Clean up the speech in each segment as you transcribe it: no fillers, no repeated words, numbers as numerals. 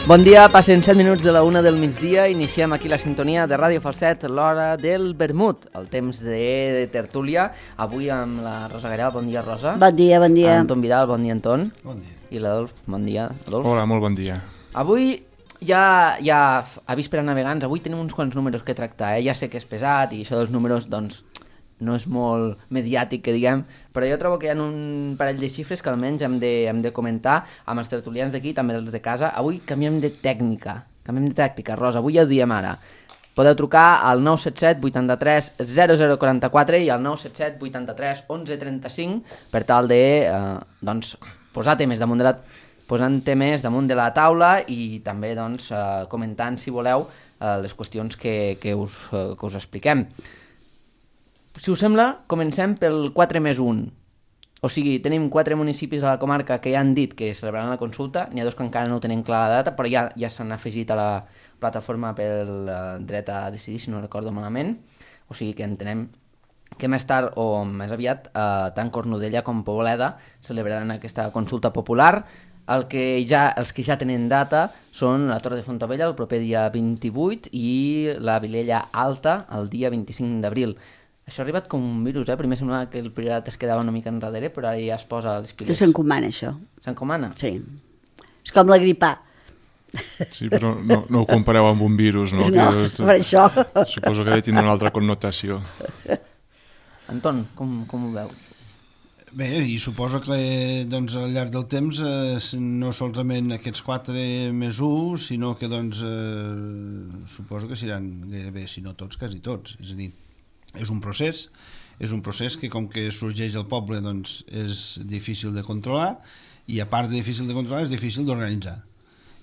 Bon dia, passen 7 minuts de la 1 del migdia, iniciem aquí la sintonia de Ràdio Falset, l'hora del vermut, el temps de tertúlia, avui amb la Rosa Garel. Bon dia, Rosa. Bon dia, bon dia. Anton Vidal, bon dia, Anton. Bon dia. I l'Adolf, bon dia, Adolf. Hola, molt bon dia. Avui ja avís per a navegants, avui tenim uns quants números que tractar, Ja sé que és pesat i això dels números, doncs, no és molt mediàtic, que diguem, però jo trobo que hi ha un parell de xifres que almenys hem de comentar amb els tertulians d'aquí, també els de casa. Avui canviem de tècnica, Rosa, avui ja ho diem ara. Podeu trucar al 977 83 0044 i al 977 83 11 35 per tal de posar temes posant temes damunt de la taula i també comentant, si voleu, les qüestions que us expliquem. Si us sembla, comencem pel 4+1. O sigui, tenim 4 municipis a la comarca que ja han dit que celebraran la consulta, n'hi ha 2 que encara no tenen clara la data, però ja s'han afegit a la plataforma pel dret a decidir, si no recordo malament. O sigui que entenem que més tard o més aviat tant Cornudella com Poboleda celebraran aquesta consulta popular. Els que ja tenen data són la Torre de Fontaubella el proper dia 28 i la Vilella Alta el dia 25 d'abril. Això ha arribat com un virus, Primer semblava que el Priorat es quedava una mica enrere, però ara ja es posa a les piles. Que s'encomana, això. S'encomana? Sí. És com la gripa. Sí, però no ho compareu amb un virus, no? No, per això. Suposo que ha de tindre una altra connotació. Anton, com ho veus? Bé, i suposo que al llarg del temps no solament aquests 4+1, sinó que suposo que seran gairebé, si no tots, quasi tots. És a dir, és un procés que com que sorgeix al poble és difícil de controlar i a part de difícil de controlar és difícil d'organitzar.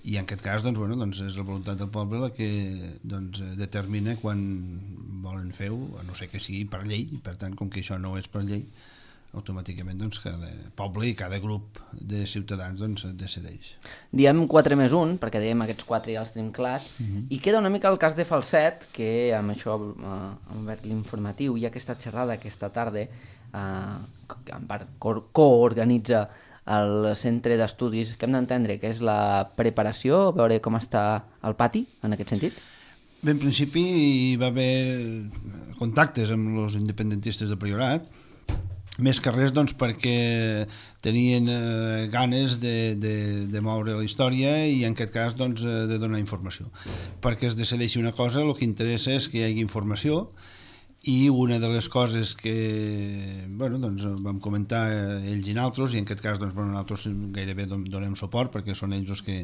I en aquest cas és la voluntat del poble la que determina quan volen fer-ho, a no ser que sigui per llei, i per tant com que això no és per llei, automàticament cada poble i cada grup de ciutadans decideix. Diem 4+1, perquè dèiem aquests 4 ja els tenim clars, i queda una mica el cas de Falset, que amb això hem obert l'informatiu, i aquesta xerrada aquesta tarda en part coorganitza el centre d'estudis, que hem d'entendre que és la preparació, veure com està el pati, en aquest sentit? Bé, en principi hi va haver contactes amb els independentistes de Priorat, més que res perquè tenien ganes de moure la història i en aquest cas de donar informació. Perquè es decideixi una cosa, el que interessa és que hi hagi informació i una de les coses que vam comentar ells i nosaltres, i en aquest cas nosaltres gairebé donem suport perquè són ells els que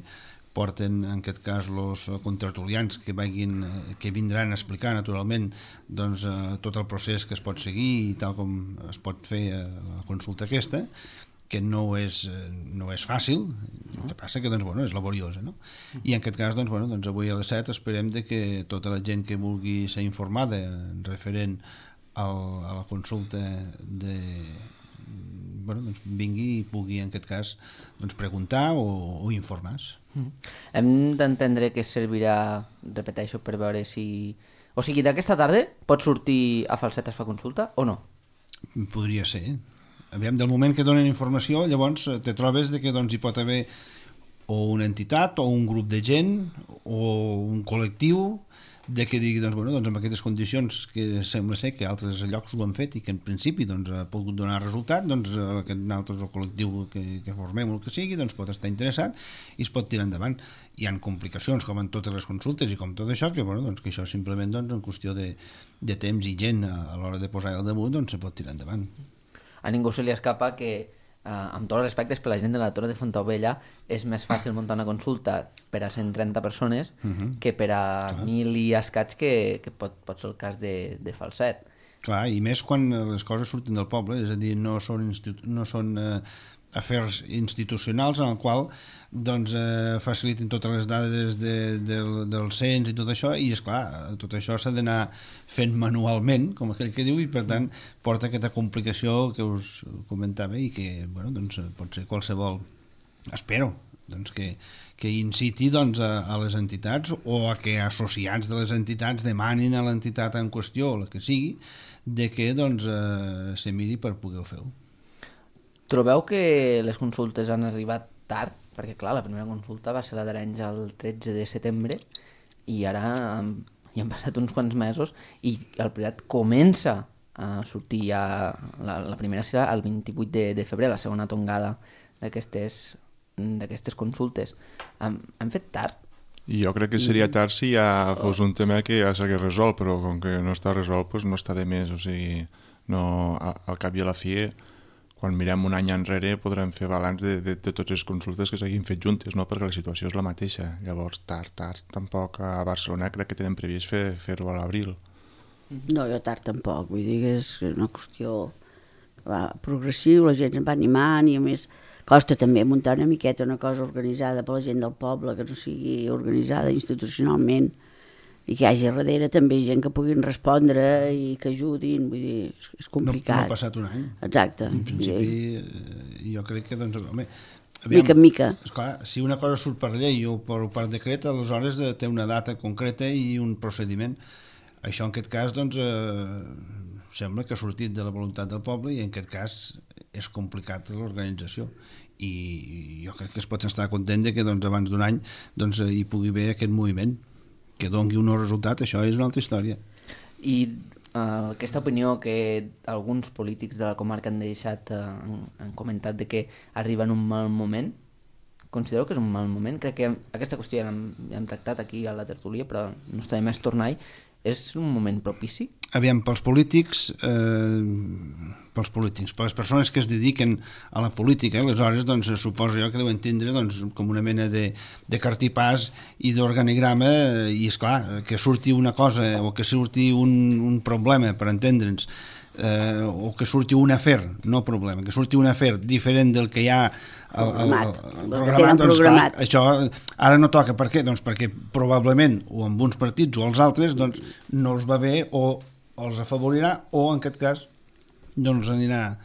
porten en aquest cas els contratulians que vindran a explicar naturalment tot el procés que es pot seguir i tal com es pot fer la consulta aquesta, que no és fàcil, el que passa que és laboriosa, no? I en aquest cas avui a les 7 esperem que tota la gent que vulgui ser informada referent a la consulta vingui i pugui en aquest cas preguntar o informar-se. Hem d'entendre que servirà, repeteixo, per veure si... O sigui, d'aquesta tarda pot sortir a Falset es fa consulta o no? Podria ser. Aviam, del moment que donen informació, llavors te trobes que hi pot haver o una entitat o un grup de gent o un col·lectiu que digui, amb aquestes condicions que sembla ser que altres llocs ho han fet i que en principi ha pogut donar resultat, nosaltres el col·lectiu que formem o el que sigui pot estar interessat i es pot tirar endavant. Hi ha complicacions com en totes les consultes i com tot això, que això simplement en qüestió de temps i gent a l'hora de posar el damunt se pot tirar endavant. A ningú se li escapa que amb tots els respectes per la gent de la Torre de Fontaubella és més fàcil muntar una consulta per a 130 persones que per a 1.000 i escaig que pot ser el cas de Falset. Clar, i més quan les coses surten del poble, és a dir, no són afers institucionals en el qual faciliten totes les dades del cens i tot això, i esclar, tot això s'ha d'anar fent manualment, com aquell que diu, i per tant porta aquesta complicació que us comentava i que pot ser qualsevol, espero, que inciti a les entitats o a que associats de les entitats demanin a l'entitat en qüestió, la que sigui, que se miri per poder-ho fer. Trobeu que les consultes han arribat tard perquè clar, la primera consulta va ser la d'Arenys el 13 de setembre i ara ja han passat uns quants mesos i el Priorat comença a sortir ja, la primera serà el 28 de febrer, la segona tongada d'aquestes consultes. Han fet tard? I jo crec que seria tard si ja fos un tema que ja s'hagués resolt, però com que no està resolt, doncs no està de més. O sigui, no, al cap i a la fi, quan mirem un any enrere, podrem fer balanç de totes les consultes que s'hagin fet juntes, no? Perquè la situació és la mateixa. Llavors, tard, tampoc a Barcelona crec que tenen previst fer-ho a l'abril. No, jo tard tampoc, vull dir que és una qüestió progressiu, la gent se'n va animant i a més costa també muntar una miqueta una cosa organitzada per la gent del poble, que no sigui organitzada institucionalment i que hi hagi darrere també gent que puguin respondre i que ajudin, vull dir, és complicat. No ha passat un any. Exacte. En principi, jo crec que, doncs, home, mica en mica. Esclar, si una cosa surt per llei o per decret, aleshores té una data concreta i un procediment. Això en aquest cas, doncs, sembla que ha sortit de la voluntat del poble i en aquest cas és complicat l'organització i jo crec que es pot estar content de que doncs, abans d'un any doncs, hi pugui haver aquest moviment que doni un resultat, això és una altra història. I aquesta opinió que alguns polítics de la comarca han deixat, han comentat de que arriba en un mal moment, considero que és un mal moment. Crec que aquesta qüestió ja l'hem tractat aquí a la tertúlia, però no està de més tornar-hi. És un moment propici? Aviam, pels polítics, per les persones que es dediquen a la política, aleshores doncs, suposo jo que deuen tindre doncs, com una mena de cartipàs i d'organigrama i esclar, que surti una cosa o que surti un problema, per entendre'ns, o que surti un afer, no problema, que surti un afer diferent del que hi ha programat, doncs clar, això ara no toca. Per què? Doncs perquè probablement o amb uns partits o els altres doncs, no els va bé o els afavorirà o en aquest cas no els anirà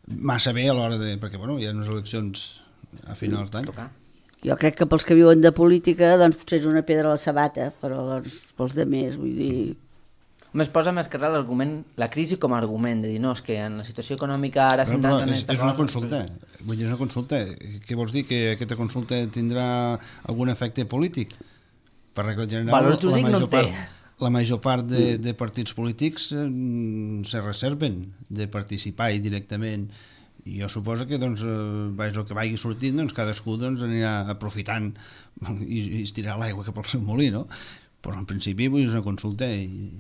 massa bé a l'hora de... perquè bueno, hi ha unes eleccions a finals d'any. Jo crec que pels que viuen de política doncs potser és una pedra a la sabata, però doncs, pels de més, vull dir... Home, es posa més que res l'argument, la crisi com a argument, de dir, no, és que en la situació econòmica ara centrant en aquesta cosa... És una consulta, vull dir, és una consulta. Què vols dir, que aquesta consulta tindrà algun efecte polític? Per regla general, la major part de partits polítics se reserven de participar directament i jo suposo que doncs, el que vagi sortint doncs, cadascú doncs, anirà aprofitant i estirarà l'aigua cap al seu molí, no? Però en principi vull dir, és una consulta i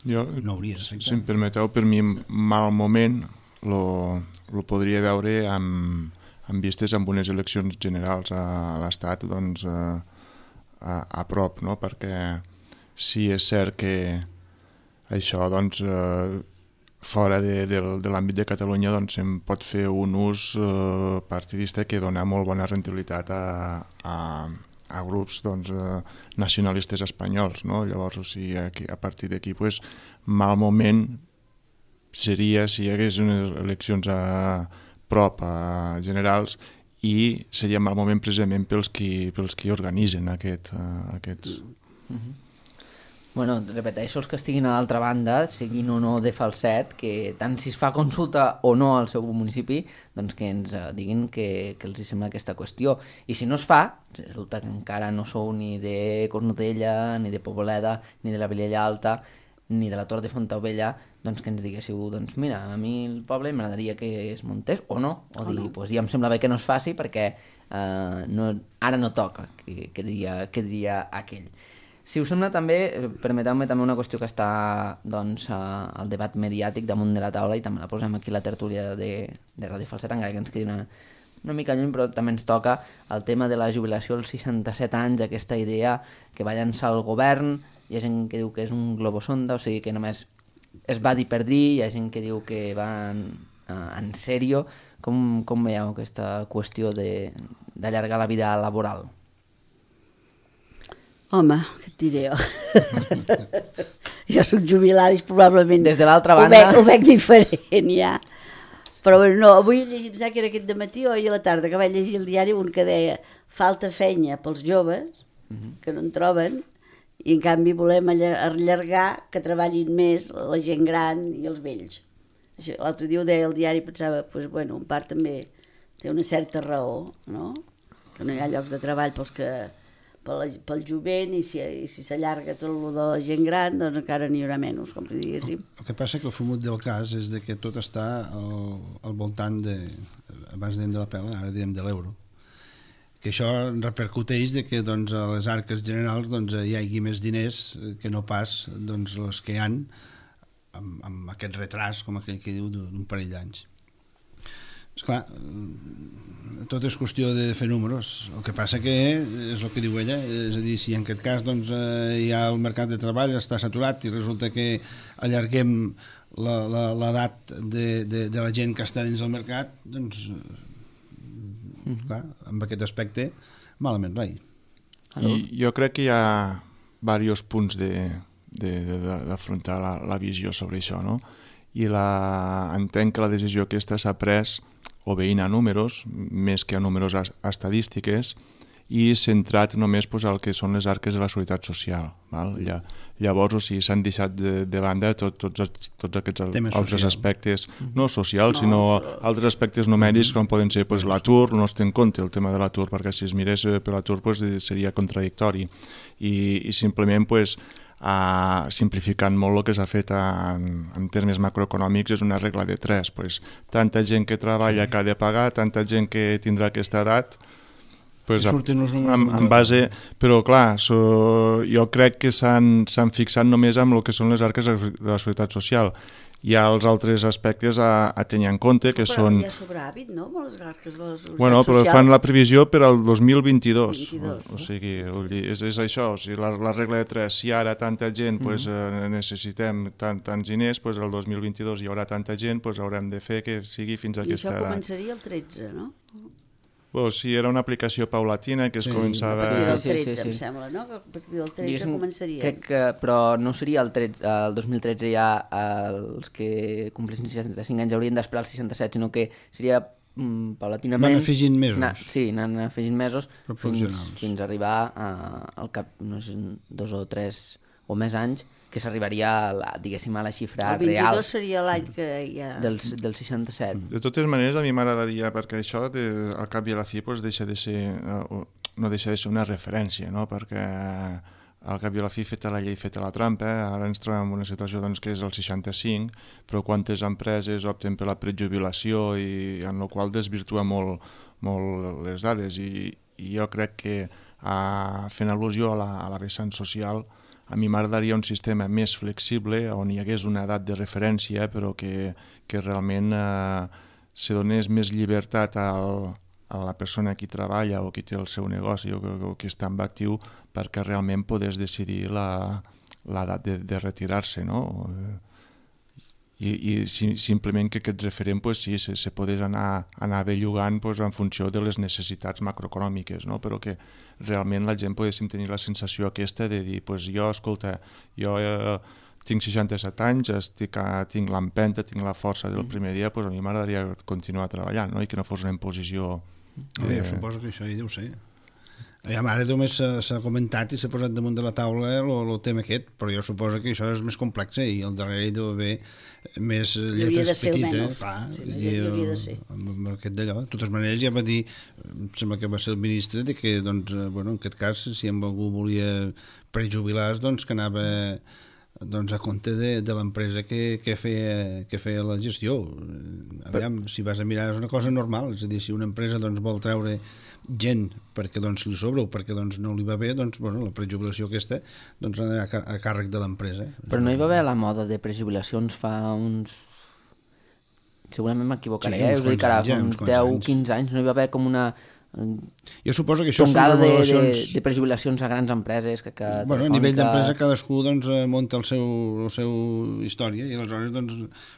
jo, no hauria de ser. Si em permeteu, per mi mal moment lo podria veure amb vistes amb unes eleccions generals a l'Estat doncs, a prop, no? Perquè sí és cert que això doncs, fora de l'àmbit de Catalunya doncs, se'n pot fer un ús partidista que dona molt bona rendibilitat a grups doncs, nacionalistes espanyols, no? Llavors, o sigui, a partir d'aquí pues, mal moment seria si hi hagués unes eleccions a prop a generals i seria mal moment precisament pels qui organitzen aquests... Bueno, repeteixo, els que estiguin a l'altra banda, siguin o no de falset, que tant si es fa consulta o no al seu municipi, doncs que ens diguin que els sembla aquesta qüestió. I si no es fa, resulta que encara no sou ni de Cornudella, ni de Poboleda, ni de la Vilella Alta, ni de la Tor de Fontaubella, doncs que ens diguéssiu, doncs mira, a mi el poble m'agradaria que es muntés o no, o dir, no. Pues ja em sembla bé que no es faci perquè ara no toca, que diria aquell. Si us sembla també, permeteu-me també una qüestió que està doncs, al debat mediàtic damunt de la taula i també la posem aquí a la tertúlia de Ràdio Falset, encara que ens quedi una mica lluny, però també ens toca el tema de la jubilació als 67 anys, aquesta idea que va llançar el govern, hi ha gent que diu que és un globosonda, o sigui que només es va dir per dir, hi ha gent que diu que va en sèrio. Com veieu aquesta qüestió d'allargar la vida laboral? Home, què et diré jo? Jo soc jubilada i probablement des de l'altra banda ho veig diferent ja. Però bueno, no, avui he llegit, que era aquest dematí o ahir a la tarda, que vaig llegir el diari un que deia falta feina pels joves que no en troben i en canvi volem allargar que treballin més la gent gran i els vells. L'altre dia ho deia el diari i pensava, pues, bueno, en part també té una certa raó, no? que no hi ha llocs de treball pel jovent, i si s'allarga tot el de la gent gran, doncs encara n'hi haurà menys, com si diguéssim. El que passa que el fumut del cas és de que tot està al voltant de, abans dèiem de la pela, ara direm de l'euro, que això repercuteix de que doncs, a les arques generals doncs, hi hagi més diners que no pas doncs, els que hi han amb aquest retras, com aquell que diu, d'un parell d'anys. Esclar, tot és qüestió de fer números. El que passa que és el que diu ella, és a dir, si en aquest cas doncs, hi ha el mercat de treball, està saturat i resulta que allarguem l'edat de la gent que està dins del mercat, doncs, clar, amb aquest aspecte, malament rai. I jo crec que hi ha diversos punts d'afrontar la visió sobre això, no? I entenc que la decisió aquesta s'ha pres obeint a números, més que a números estadístiques, i centrat només pues, al que són les arques de la seguretat social. Val? Llavors, o sigui, s'han deixat de banda tots aquests altres aspectes, no socials, sinó altres aspectes numèrics, com poden ser pues, l'atur, no es té en compte el tema de l'atur, perquè si es mirés per l'atur pues, seria contradictori. I simplement, pues, simplificant molt el que s'ha fet en termes macroeconòmics, és una regla de 3. Pues, tanta gent que treballa que ha de pagar, tanta gent que tindrà aquesta edat, pues, en base, però clar, jo crec que s'han fixat només amb el que són les arques de la seguretat social. Hi ha els altres aspectes a tenir en compte, que són... Però hi ha sobràvit, no?, amb les arques de la seguretat social. Bueno, però fan la previsió per al 2022. O sigui, és això, o sigui, la regla de 3, si ara tanta gent pues, necessitem tants diners, pues, el 2022 hi haurà tanta gent, pues, haurem de fer que sigui fins a aquesta edat. I això començaria el 13, no? Bueno, sí, era una aplicació paulatina que es començava... A partir del 13, em sembla, no? A partir del 13 començaria. Crec que, però no seria el 2013 ja els que complissin 65 anys haurien d'esperar els 67, sinó que seria paulatinament... Van afegint mesos. Anant afegint mesos fins a arribar al cap, no sé, 2 o 3 o més anys, que s'arribaria diguéssim a la xifra real. El 22 seria l'any que hi ha... Del 67. De totes maneres, a mi m'agradaria, perquè això al cap i a la fi pues, no deixa de ser una referència, no? Perquè al cap i a la fi feta la llei, feta la trampa, ara ens trobem en una situació doncs, que és el 65, però quantes empreses opten per la prejubilació i en la qual desvirtua molt les dades, i jo crec que fent al·lusió a la vessant social, a mi m'agradaria un sistema més flexible on hi hagués una edat de referència però que realment se donés més llibertat a la persona qui treballa o qui té el seu negoci o qui està en actiu perquè realment podés decidir l'edat de retirar-se, no? I simplement que aquest referent pues, sí, se podés anar bellugant pues, en funció de les necessitats macroeconòmiques, no? Però que realment la gent poguéssim tenir la sensació aquesta de dir, pues, jo tinc 67 anys, tinc l'empenta, tinc la força del primer dia, pues, a mi m'agradaria continuar treballant, no? I que no fos una imposició... Jo suposo que això hi deu ser. Ara només s'ha comentat i s'ha posat damunt de la taula el tema aquest, però jo suposo que això és més complex i al darrere hi deu haver més lletres petites. Hauria de ser. Amb aquest d'allò. De totes maneres ja va dir, em sembla que va ser el ministre, de que doncs, bueno, en aquest cas si algú volia prejubilar-se doncs que anava doncs, a compte de l'empresa que feia la gestió. Aviam, si vas a mirar és una cosa normal, és a dir, si una empresa doncs, vol treure gent perquè doncs, li sobra o perquè doncs, no li va bé, doncs, bueno, la prejubilació aquesta doncs, a càrrec de l'empresa. Però no hi va haver la moda de prejubilacions fa uns... Segurament m'equivocaré, us ho dic ara, fa uns 10-15 anys, no hi va haver com una... Jo suposo que això tongada de prejubilacions a grans empreses bueno, a nivell d'empresa cadascú doncs, munta el seu història i aleshores doncs,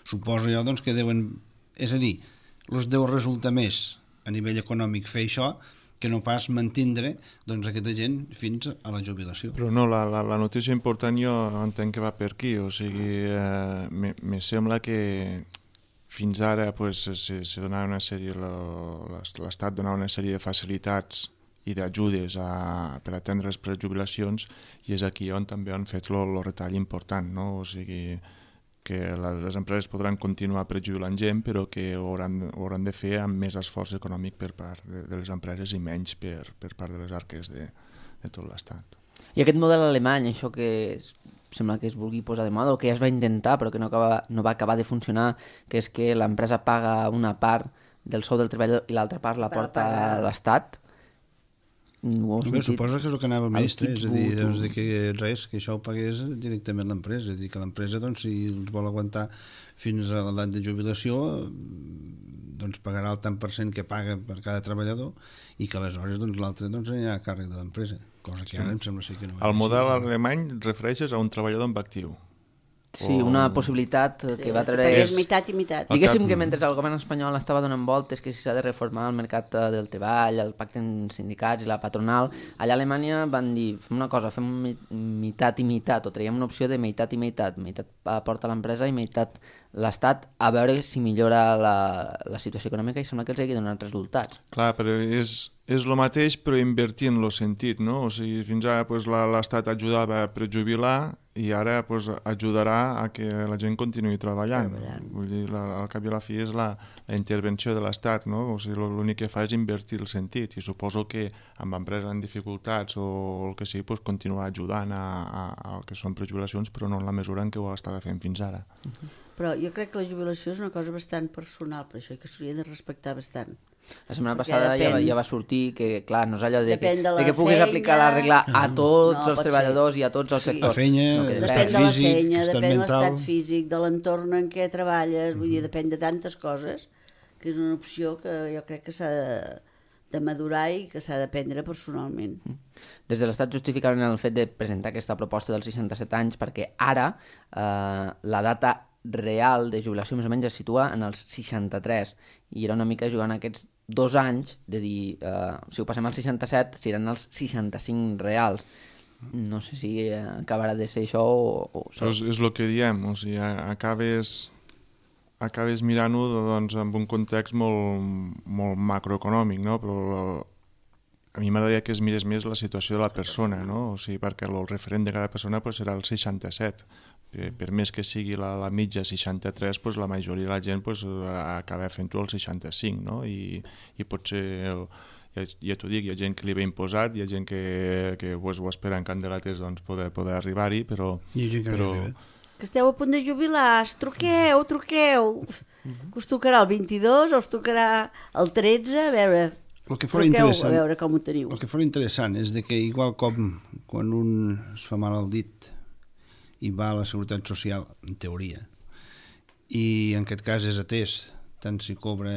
suposo jo doncs, que deuen, és a dir, els deu resultar més a nivell econòmic fer això que no pas mantindre doncs, aquesta gent fins a la jubilació. Però no, la notícia important jo entenc que va per aquí, o sigui, me sembla que fins ara pues, se donava una sèrie, l'Estat donava una sèrie de facilitats i d'ajudes per atendre les prejubilacions i és aquí on també han fet el retall important, no? O sigui, les empreses podran continuar prejubilant gent, però que ho hauran de fer amb més esforç econòmic per part de les empreses i menys per part de les arques de tot l'Estat. I aquest model alemany, això que sembla que es vulgui posar de moda o que ja es va intentar però que no va acabar de funcionar, que és que l'empresa paga una part del sou del treballador i l'altra part la porta a l'Estat. Suposa que és el que anava el ministre, és a dir, doncs, que res, que això ho pagués directament l'empresa, és a dir, que l'empresa, doncs, si els vol aguantar fins a l'edat de jubilació, doncs pagarà el tant per cent que paga per cada treballador i que aleshores doncs, l'altre doncs, anirà a càrrec de l'empresa, cosa que ara em sembla ser que no. El model alemany refereixes a un treballador en actiu. Sí, una possibilitat que va treure... És mitat i mitat. Diguéssim que mentre el govern espanyol estava donant voltes que si s'ha de reformar el mercat del treball, el pacte en sindicats i la patronal, allà a Alemanya van dir, fem una cosa, fem mitat i mitat, o traiem una opció de meitat i meitat porta l'empresa i meitat l'Estat, a veure si millora la situació econòmica i sembla que els hagi donat resultats. Clar, però és el mateix però invertint el sentit, no? O sigui, fins ara pues, l'Estat ajudava a prejubilar i ara pues, ajudarà a que la gent continuï treballant. Vull dir, al cap i a la fi és la intervenció de l'Estat, no? O sigui, l'únic que fa és invertir el sentit i suposo que amb empreses en dificultats o el que sigui, pues, continuarà ajudant al que són prejubilacions, però no en la mesura en què ho estava fent fins ara. Però jo crec que la jubilació és una cosa bastant personal, per això que s'hauria de respectar bastant. La setmana passada ja va sortir que, clar, no és allò de que puguis feina, aplicar la regla a tots els treballadors i a tots els sectors. La feina, depèn de la feina, depèn de l'estat físic, de l'entorn en què treballes, vull dir, depèn de tantes coses, que és una opció que jo crec que s'ha de madurar i que s'ha de prendre personalment. Des de l'Estat justificaven el fet de presentar aquesta proposta dels 67 anys perquè ara la data real de jubilació més o menys es situa en els 63 i era una mica jugant aquests 2 anys de dir, si ho passem als 67 seran els 65 reals. No sé si acabarà de ser això o... És el que diem, o sigui, acabes mirant-ho doncs, amb un context molt macroeconòmic, no? Però a mi m'agradaria que es mirés més la situació de la persona, no? O sigui, perquè el referent de cada persona pues, serà el 67. Per més que sigui la mitja 63, pues, la majoria de la gent pues, acaba fent-ho al 65, no? I potser, ja t'ho dic, hi ha gent que li ve imposat, hi ha gent que pues, ho espera en candelates doncs, poder arribar-hi, però... Hi ha gent que no arriba. Que esteu a punt de jubilar, truqueu. Que us tocarà el 22 o us tocarà el 13, a veure... Truqueu a veure com ho teniu. El que fora interessant és de que igual com quan un es fa mal al dit i va a la Seguretat Social, en teoria, i en aquest cas és atès, tant si cobra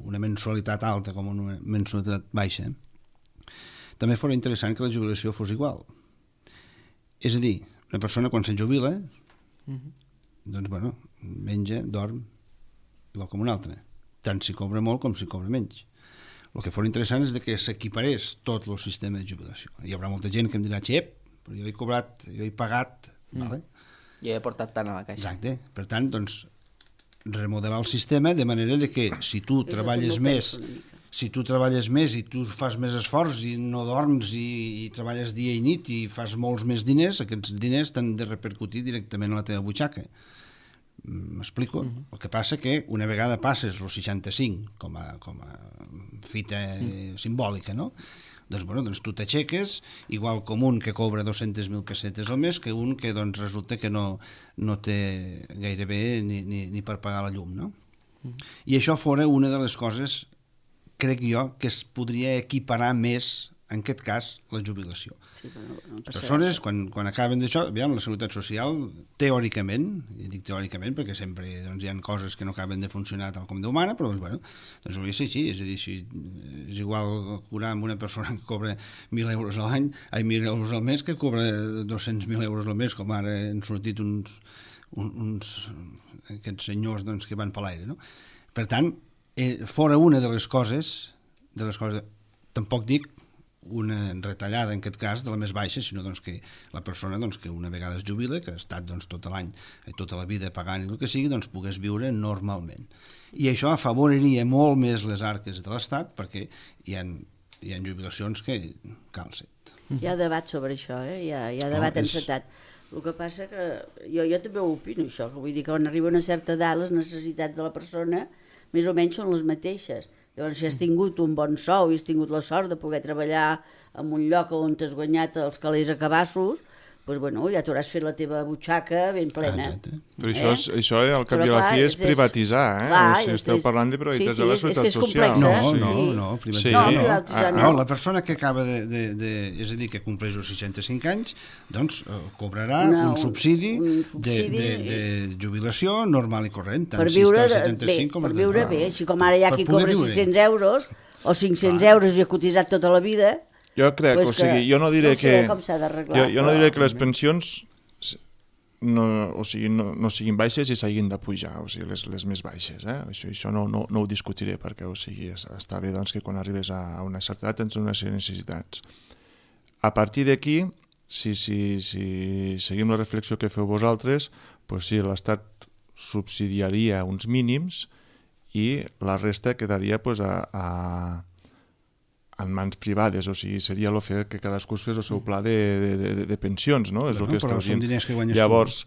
una mensualitat alta com una mensualitat baixa, també fora interessant que la jubilació fos igual. És a dir, una persona quan se jubila, doncs, bueno, menja, dorm, igual com una altra, tant si cobra molt com si cobra menys. El que fora interessant és de que s'equiparés tot el sistema de jubilació. Hi haurà molta gent que em dirà, xep, però jo he cobrat, jo he pagat, vale? Jo he portat tant a la caixa. Exacte. Per tant, doncs, remodelar el sistema de manera de que si tu treballes més i tu fas més esforç i no dorms i treballes dia i nit i fas molts més diners, aquests diners t'han de repercutir directament a la teva butxaca. M'explico? El que passa que una vegada passes els 65 com a fita simbòlica, no? Doncs, bueno, doncs tu t'aixeques igual com un que cobra 200.000 pessetes al mes que un que doncs, resulta que no té gairebé ni per pagar la llum, no? I això fora una de les coses, crec jo, que es podria equiparar més, en aquest cas, la jubilació. Sí, les persones, quan acaben d'això, aviam, la Seguretat Social, teòricament, i dic teòricament perquè sempre doncs, hi ha coses que no acaben de funcionar tal com Déu mana, però doncs, bueno, doncs hauria de ser així, és a dir, si és igual curar amb una persona que cobra 1.000 euros a l'any, 1.000 euros al mes, que cobra 200.000 euros al mes, com ara han sortit uns aquests senyors doncs, que van per l'aire, no? Per tant, fora una de les coses, tampoc dic una retallada en aquest cas de la més baixa, sinó doncs, que la persona doncs, que una vegada es jubila, que ha estat doncs, tot l'any i tota la vida pagant i el que sigui, doncs pogués viure normalment. I això afavoriria molt més les arques de l'Estat perquè hi ha jubilacions que calcen. Hi ha debat sobre això, hi ha debat encetat. El que passa que jo també ho opino, això, que vull dir que quan arriba una certa edat les necessitats de la persona més o menys són les mateixes. Llavors, si has tingut un bon sou i has tingut la sort de poder treballar en un lloc on t'has guanyat els calés a cabassos, doncs, bueno, ja t'hauràs fet la teva butxaca ben plena. Però això al cap i a la fi és privatitzar, eh? Clar, o sigui, esteu parlant de privatitzar de la seguretat social. No, privatitzar no. La persona que acaba és a dir, que compleix els 65 anys, doncs cobrarà un subsidi de jubilació normal i corrent, tant si està als 75 com als 10. Per viure bé, així com ara hi ha qui cobra 600 euros o 500 euros i ha cotitzat tota la vida. Jo crec, o sigui, jo no diré que... Jo no diré que les pensions no siguin baixes i s'hagin de pujar, o sigui, les més baixes, eh? Això no ho discutiré, perquè, o sigui, està bé doncs, que quan arribes a una certa edat tens unes necessitats. A partir d'aquí, si seguim la reflexió que feu vosaltres, doncs sí, l'Estat subsidiaria uns mínims i la resta quedaria doncs, en mans privades, o sigui, seria el fer que cadascú es fes el seu pla de pensions, no? És el que però són diners que guanyes Llavors,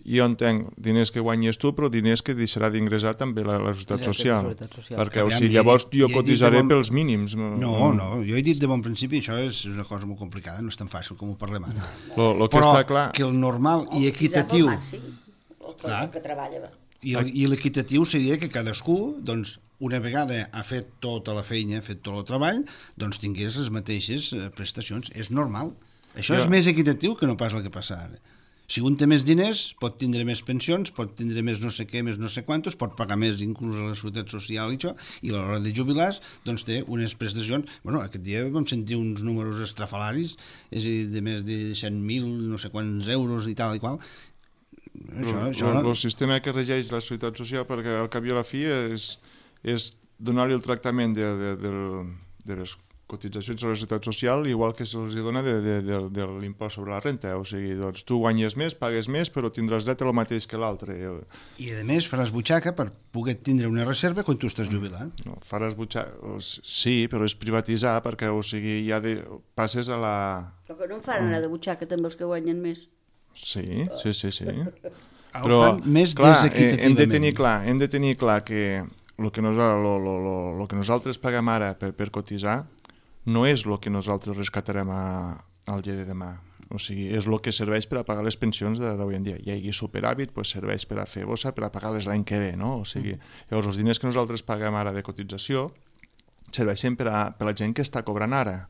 jo entenc diners que guanyes tu, però diners que deixarà d'ingressar també la Seguretat Social. Perquè, o sigui, llavors jo cotitzaré pels mínims. No, jo he dit de bon principi, això és una cosa molt complicada, no és tan fàcil com ho parlem ara. Lo que està clar... que el normal i equitatiu... El que treballa. I l'equitatiu seria que cadascú, doncs, una vegada ha fet tota la feina, ha fet tot el treball, doncs tingués les mateixes prestacions. És normal. Això és més equitatiu que no pas el que passa ara. Si un té més diners, pot tindre més pensions, pot tindre més no sé què, més no sé quantos, pot pagar més inclús a la Seguretat Social i això, i a l'hora de jubilar, doncs té unes prestacions... Bueno, aquest dia vam sentir uns números estrafalaris, és a dir, de més de 100.000, no sé quants euros i tal i qual. El sistema que regeix la Seguretat Social, perquè al cap i a la fi és donar-li el tractament de les cotitzacions a la Seguretat Social igual que se'ls dona de l'impost sobre la renta. O sigui, doncs tu guanyes més, pagues més, però tindràs dret a el mateix que l'altre. I a més faràs butxaca per poder tindre una reserva quan tu estàs jubilat. No, faràs butxaca... Sí, però és privatitzar, perquè o sigui, ja passes a la... Però que no en fan anar de butxaca també els que guanyen més. Sí. Però més desequitativament. Hem de tenir clar que el que nosaltres paguem ara per cotitzar no és el que nosaltres rescatarem al dia de demà. O sigui, és el que serveix per a pagar les pensions d'avui en dia. Hi hagi superàvit, doncs serveix per a fer bossa, per a pagar-les l'any que ve, no? O sigui, llavors els diners que nosaltres paguem ara de cotització serveixen per a la gent que està cobrant ara.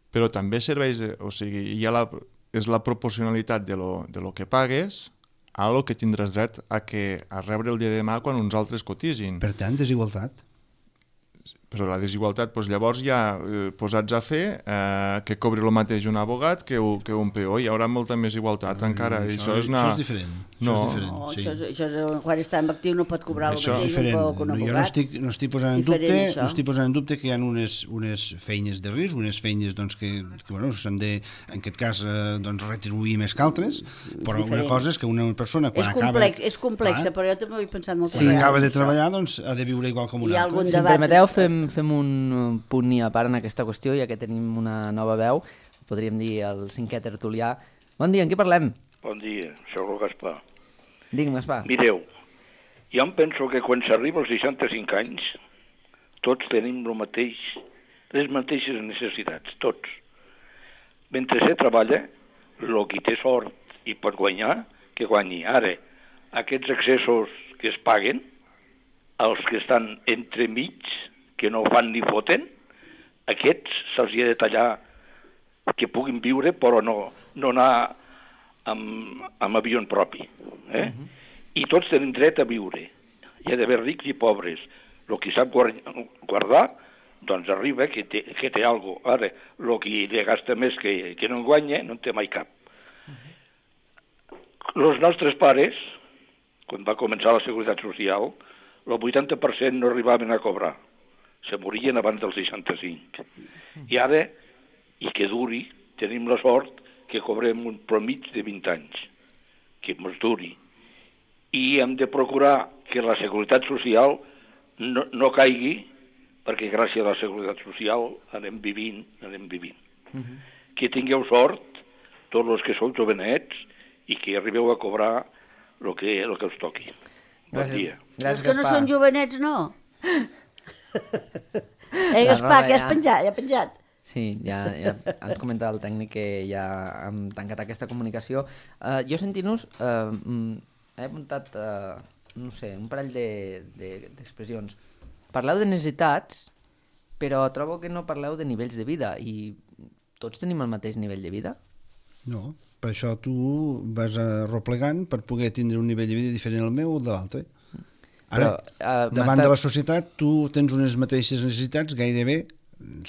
Però també serveix, o sigui, és la proporcionalitat de lo que pagues a lo que tindràs dret a rebre el dia de demà quan uns altres cotisin. Per tant, desigualtat. Però la desigualtat, doncs llavors ja posats a fer que cobri el mateix un abogat que un peó. Hi haurà molta més igualtat encara. Això és diferent. Això és quan està en actiu no pot cobrar el mateix un peó que un abogat. Jo no estic posant en dubte que hi ha unes feines de risc, unes feines que s'han de, en aquest cas, retribuir més que altres, però una cosa és que una persona quan acaba... És complexa, però jo també ho he pensat molt. Quan acaba de treballar, doncs ha de viure igual com un altre. Si em permeteu, fem un punt i a part en aquesta qüestió, ja que tenim una nova veu, podríem dir el cinquè tertulià. Bon dia, en què parlem? Bon dia, soc el Gaspar. Digue'm, Gaspar. Mireu, jo em penso que quan s'arriba als 65 anys, tots tenim les mateixes necessitats, tots. Mentre se treballa, el qui té sort i pot guanyar, que guanyi. Ara, aquests excessos que es paguen, els que estan entremig, que no fan ni foten, aquests se'ls ha de tallar que puguin viure però no anar amb avió propi. I tots tenen dret a viure. Hi ha d'haver rics i pobres. El que sap guardar, doncs arriba que té alguna cosa. Ara, el que li gasta més que no en guanya, no en té mai cap. Els nostres pares, quan va començar la Seguretat Social, el 80% no arribaven a cobrar. Se morien abans dels 65. I ara, i que duri, tenim la sort que cobrem un promig de 20 anys, que ens duri. I hem de procurar que la Seguretat Social no caigui, perquè gràcies a la Seguretat Social anem vivint. Que tingueu sort, tots els que sou jovenets, i que arribeu a cobrar el que us toqui. Bon dia. Els que no són jovenets, no. Gaspar, que ja has penjat. Sí, ja ens comentava el tècnic que ja hem tancat aquesta comunicació. Jo sentint-nos he apuntat, no sé, un parell d'expressions. Parleu de necessitats, però trobo que no parleu de nivells de vida, i tots tenim el mateix nivell de vida? No, per això tu vas arroplegant per poder tindre un nivell de vida diferent al meu o de l'altre. Ara, davant de la societat, tu tens unes mateixes necessitats gairebé,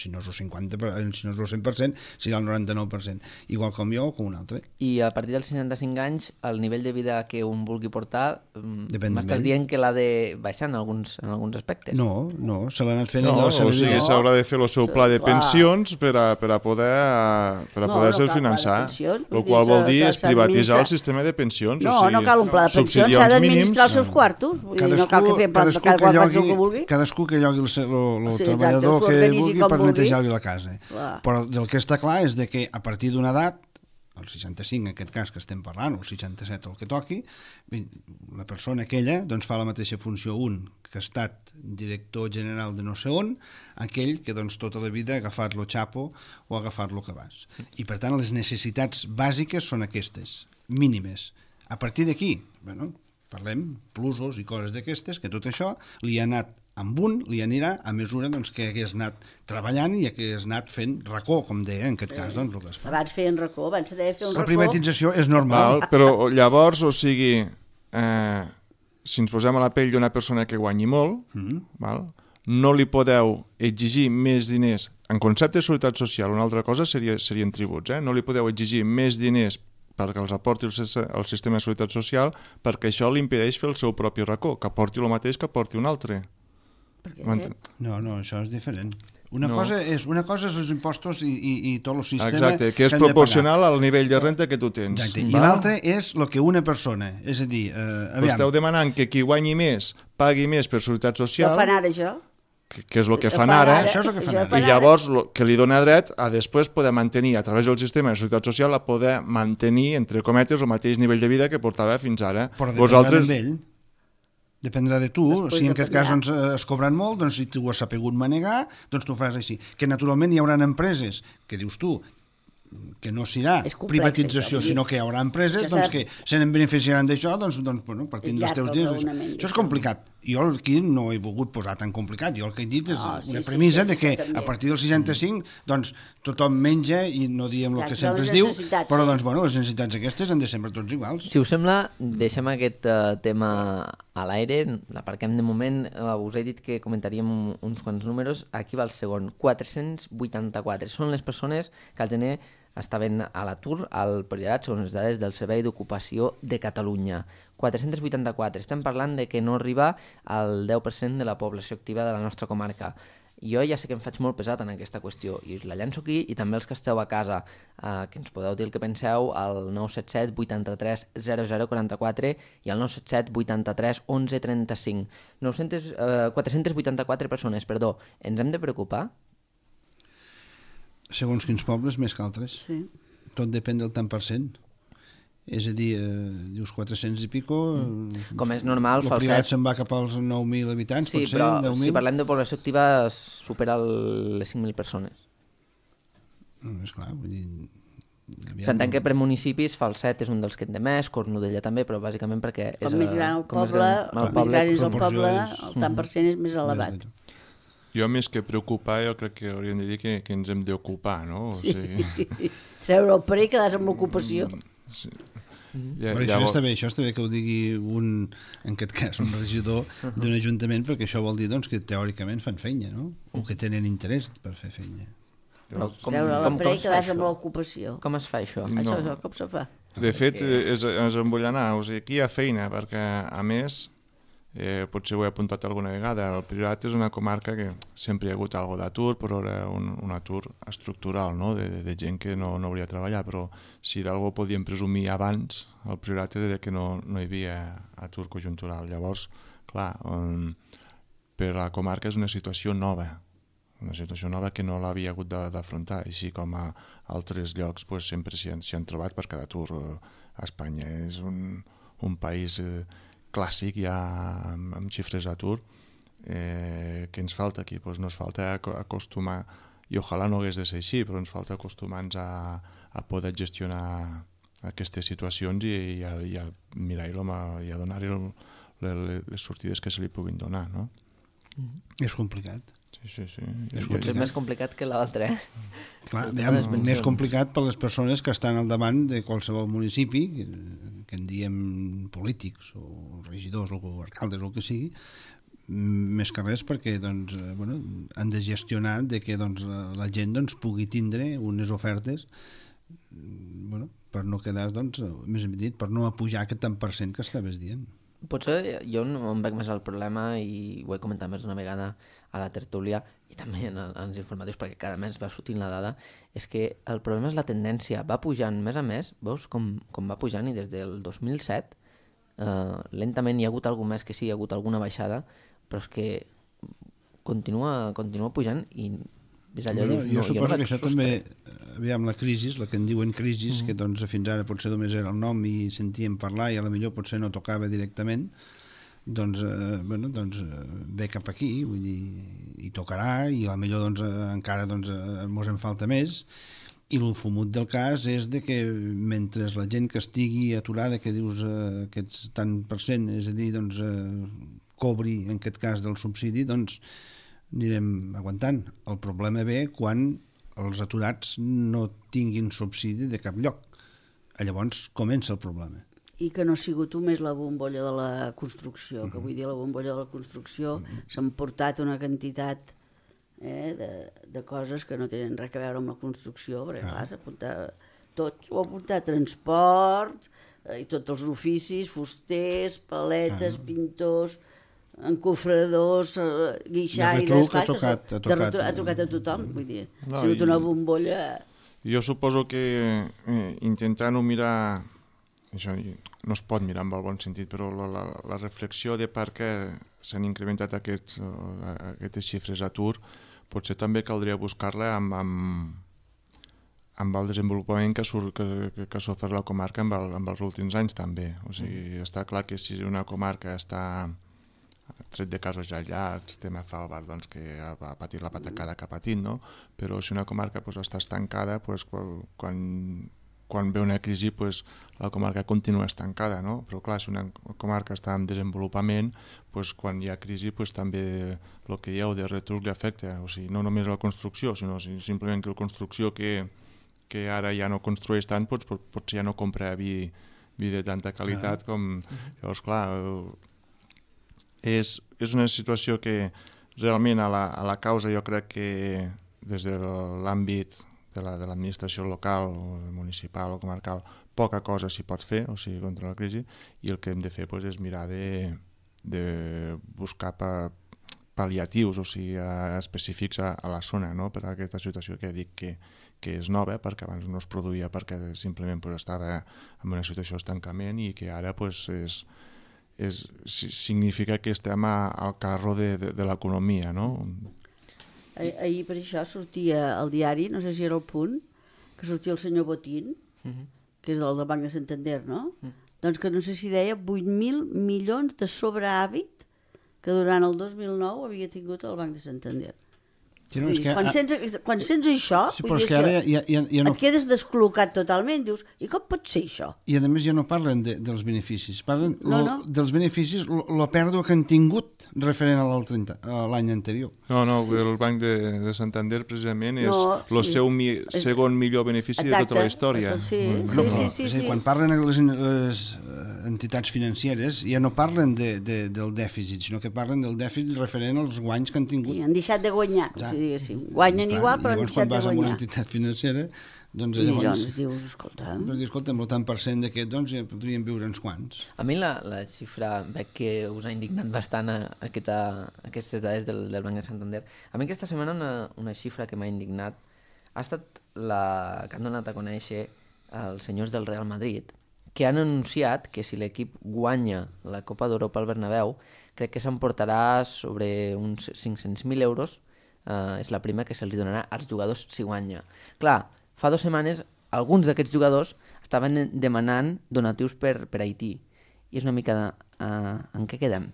si no és el 50%, si no és el 100%, serà el 99%, igual com jo o com un altre. I a partir dels 65 anys, el nivell de vida que un vulgui portar, m'estàs d'ell. dient que l'ha de baixar en alguns aspectes? No, se l'ha anat fent No, allò. o sigui, s'haurà de fer el seu pla de pensions per a poder-se finançar, el qual vol dir és privatitzar el sistema de pensions. No cal un pla de pensions, s'ha d'administrar els seus quartos, no cal que fer cada qual faci el que vulgui. Cadascú que llogui el treballador que vulgui per netejar-li la casa. Però del que està clar és que a partir d'una edat, el 65 en aquest cas que estem parlant, o el 67 el que toqui, la persona aquella fa la mateixa funció que ha estat director general de no sé on, aquell que tota la vida ha agafat lo xapo o ha agafat lo cabàs. I per tant les necessitats bàsiques són aquestes, mínimes. A partir d'aquí, parlem plusos i coses d'aquestes, que tot això li ha anat amb un, li anirà a mesura que hagués anat treballant i hagués anat fent racó, com deia en aquest cas. Abans feien racó, abans se deia fer un racó. La privatització és normal. Però llavors, o sigui, si ens posem a la pell d'una persona que guanyi molt, no li podeu exigir més diners. En concepte de seguretat social, una altra cosa serien tributs. No li podeu exigir més diners perquè els aporti el sistema de seguretat social, perquè això li impedeix fer el seu propi racó, que aporti el mateix que aporti un altre. No, això és diferent. Una cosa és els impostos i tot el sistema. Exacte, que és proporcional al nivell de renta que tu tens. Exacte. I l'altre és el que una persona, és a dir, esteu demanant que qui guanyi més pagui més per seguretat social. Què fan ara, això? Que és el que fan ara, això és el que fan ara. I llavors que li dona dret a després poder mantenir, a través del sistema de seguretat social, a poder mantenir, entre cometes, el mateix nivell de vida que portava fins ara. Però dependrà d'ell. Dependrà de tu. Si en aquest cas es cobren molt, si tu ho has sapigut manegar, tu faràs així. Que naturalment hi haurà empreses, que dius tu, que no serà privatització, sinó que hi haurà empreses que se n'en beneficiaran d'això, partint dels teus diners. Això és complicat. Jo aquí no he volgut posar tan complicat. Jo el que he dit és una premissa de que a partir del 65 tothom menja i no diem el que sempre es diu, però les necessitats aquestes han de ser per tots iguals. Si us sembla, deixem aquest tema a l'aire, l'aparquem de moment. Us he dit que comentaríem uns quants números. Aquí va el segon, 484. Són les persones que al gener estaven a l'atur al Priorat, segons les dades del Servei d'Ocupació de Catalunya. 484. Estem parlant de que no arriba al 10% de la població activa de la nostra comarca. Jo ja sé que em faig molt pesat en aquesta qüestió i us la llanço aquí, i també els que esteu a casa, que ens podeu dir el que penseu al 977 83 0044 i al 977 83 11 35. 484 persones, perdó. Ens hem de preocupar? Segons quins pobles, més que altres. Sí. Tot depèn del tant per cent. És a dir, dius 400 i pico... Com és normal, el Priorat se'n va cap als 9.000 habitants, sí, potser, però 10.000. Si parlem de població activa, supera les 5.000 persones. És clar, vull dir... S'entén que per municipis Falset és un dels que en té més, Cornudella també, però bàsicament perquè... Com més gran el poble, més gran és el poble, el tant per cent és més elevat. Jo, més que preocupar, jo crec que hauríem de dir que ens hem d'ocupar, no? Sí. Treure el parer i quedar-se amb l'ocupació. Sí. Però això està bé que ho digui en aquest cas, un regidor d'un ajuntament, perquè això vol dir que teòricament fan feina, no? O que tenen interès per fer feina. Treure el parer i quedar-se amb l'ocupació. Com es fa això? Això és com se fa. De fet, és embolinar. O sigui, aquí hi ha feina, perquè, a més, potser ho he apuntat alguna vegada, el Priorat és una comarca que sempre hi ha hagut algo d'atur, però era un atur estructural, no? de gent que no hauria de treballar, però si d'algú podíem presumir abans, el Priorat era que no hi havia atur conjuntural. Llavors, clar, per la comarca és una situació nova, una situació nova que no l'havia hagut d'afrontar, així com a altres llocs pues, sempre s'hi han trobat per cada atur. A Espanya és un país clàssic ja amb xifres d'atur. Què ens falta aquí? Pues no ens falta acostumar, i ojalà no hagués de ser així, però ens falta acostumar-nos a poder gestionar aquestes situacions i a mirar-ho i a donar-hi les sortides que se li puguin donar, no? És complicat. Sí. Potser és més complicat que l'altre, Clar, més complicat per les persones que estan al davant de qualsevol municipi, que en diem polítics o regidors o alcaldes o el que sigui, més que res perquè doncs, han de gestionar de que doncs, la gent doncs, pugui tindre unes ofertes per no quedar, doncs, més ben dit, per no apujar aquest tant per cent que estaves dient. Potser jo no em veig més al problema, i ho he comentat més d'una vegada a la tertúlia i també en els informatius, perquè cada mes va sortint la dada, és que el problema és la tendència, va pujant més a més, veus com va pujant, i des del 2007 lentament hi ha hagut alguna més que sí, hi ha hagut alguna baixada, però és que continua pujant i és allò, jo suposo que això també, aviam, la crisi, la que en diuen crisi, que doncs fins ara potser només era el nom i sentíem parlar i a la millor potser no tocava directament, doncs, ve cap aquí, vull dir, i tocarà, i a la millor doncs, encara doncs, mos en falta més, i el fumut del cas és de que mentre la gent que estigui aturada, que dius aquests tant per cent, és a dir, doncs, cobri en aquest cas del subsidi, doncs anirem aguantant. El problema ve quan els aturats no tinguin subsidi de cap lloc. Llavors comença el problema. I que no ha sigut només la bombolla de la construcció, que vull dir, la bombolla de la construcció s'han portat una quantitat de coses que no tenen res a veure amb la construcció, perquè clar, s'ha apuntat tot, ho ha apuntat transports i tots els oficis, fusters, paletes, pintors, encofradors, guixaires... Ha tocat a tothom, vull dir, ha sigut una bombolla... Jo suposo que intentar no mirar, això no es pot mirar amb el bon sentit, però la reflexió de per què s'han incrementat aquestes xifres d'atur, potser també caldria buscar-la amb el desenvolupament que ha sofert la comarca amb els últims anys també. O sigui, està clar que si una comarca està tret de casos aïllats, tema Falbar, doncs, que ha patit la patacada que ha patit, no? Però si una comarca està estancada, quan ve una crisi, la comarca continua estancada, no? Però clar, si una comarca està en desenvolupament, quan hi ha crisi, també el que dieu de retruc li afecta. O sigui, no només la construcció, sinó simplement que la construcció que ara ja no construeix tant, potser ja no compra vi de tanta qualitat com... Llavors, clar, és una situació que realment a la causa jo crec que des de l'àmbit de l'administració local o municipal o comarcal poca cosa s'hi pot fer, o sigui, contra la crisi, i el que hem de fer és mirar de buscar pal·liatius, o sigui, específics a la zona, no? Per a aquesta situació que dic que és nova, perquè abans no es produïa perquè simplement estava en una situació d'estancament i que ara significa que estem al carro de l'economia, no? Ahir per això sortia al diari, no sé si era el Punt, que sortia el senyor Botín, que és del Banc de Santander, no? Doncs que no sé si deia 8.000 milions de sobrehàbit que durant el 2009 havia tingut el Banc de Santander. Sí, no, que, quan sents això, sí, vull dir que ara ja no... et quedes descol·locat totalment, dius, i com pot ser això? I a més ja no parlen dels beneficis, parlen dels beneficis, la pèrdua que han tingut referent a l'any anterior. No, el Banc de Santander precisament és el seu segon millor benefici de tota la història. Sí. Quan parlen les entitats financeres ja no parlen del dèficit, sinó que parlen del dèficit referent als guanys que han tingut. I han deixat de guanyar, diguéssim. Guanyen igual, però han deixat de guanyar. Llavors, quan vas a una entitat financera, doncs llavors dius, escolta... Escolta'm, el tant per cent d'aquest, doncs ja podríem viure uns quants. A mi la xifra, veig que us ha indignat bastant aquestes dades del Banc de Santander. A mi aquesta setmana una xifra que m'ha indignat ha estat la que han donat a conèixer els senyors del Real Madrid, que han anunciat que si l'equip guanya la Copa d'Europa al Bernabéu, crec que s'emportarà sobre uns 500.000 euros és la prima que se'ls donarà als jugadors si guanya. Clar, fa 2 setmanes alguns d'aquests jugadors estaven demanant donatius per Haití. I és una mica en què quedem?